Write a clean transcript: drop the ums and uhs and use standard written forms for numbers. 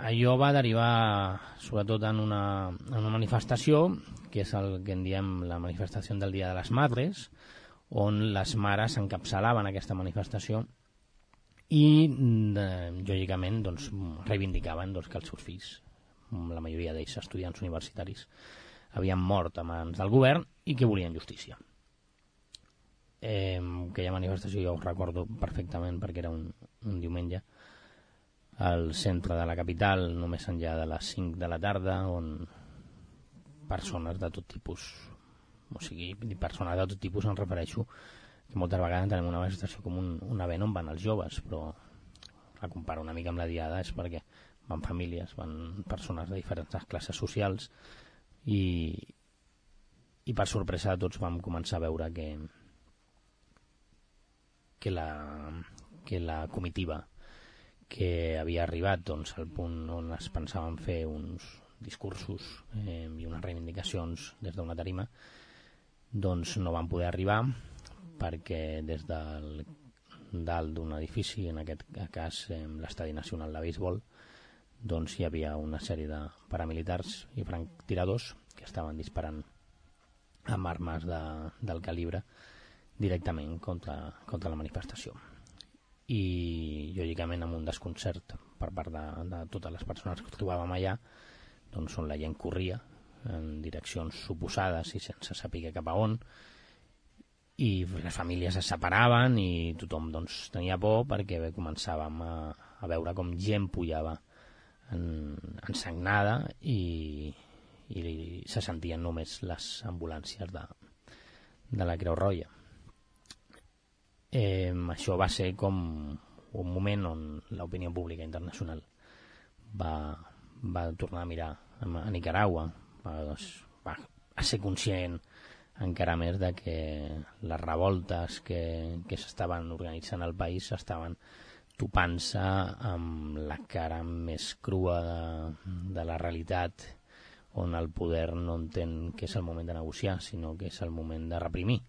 allò va derivar sobretot en una manifestació, que és el que en diem la manifestació del Dia de les Madres, on les mares encapçalaven aquesta manifestació i, lògicament, doncs, reivindicaven que els seus fills, la majoria d'ells estudiants universitaris, havien mort a mans del govern i que volien justícia. Aquella manifestació jo ho recordo perfectament perquè era un diumenge al centre de la capital, només enllà de les 5 de la tarda, on persones de tot tipus, o sigui, persones de tot tipus em refereixo que moltes vegades tenim una manifestació com un event on van els joves, però la comparo una mica amb la diada és perquè van famílies, van persones de diferents classes socials i per sorpresa de tots vam començar a veure que la comitiva que havia arribat doncs, al punt on es pensaven fer uns discursos i unes reivindicacions des d'una tarima, doncs no van poder arribar perquè des del dalt d'un edifici, en aquest cas l'Estadi Nacional de Béisbol, doncs hi havia una sèrie de paramilitars i franctiradors que estaven disparant amb armes del calibre directament contra la manifestació. I lògicament amb un desconcert per part de totes les persones que trobàvem allà, doncs on la gent corria en direccions oposades i sense saber cap a on, i les famílies es separaven i tothom doncs, tenia por perquè començàvem a veure com gent pujava ensagnada i se sentien només les ambulàncies de la Creu Roja. Això va ser com un moment on l'opinió pública internacional va tornar a mirar a Nicaragua, va ser conscient encara més de que les revoltes que s'estaven organitzant al país estaven topant-se amb la cara més crua de la realitat, on el poder no entén que és el moment de negociar, sinó que és el moment de reprimir.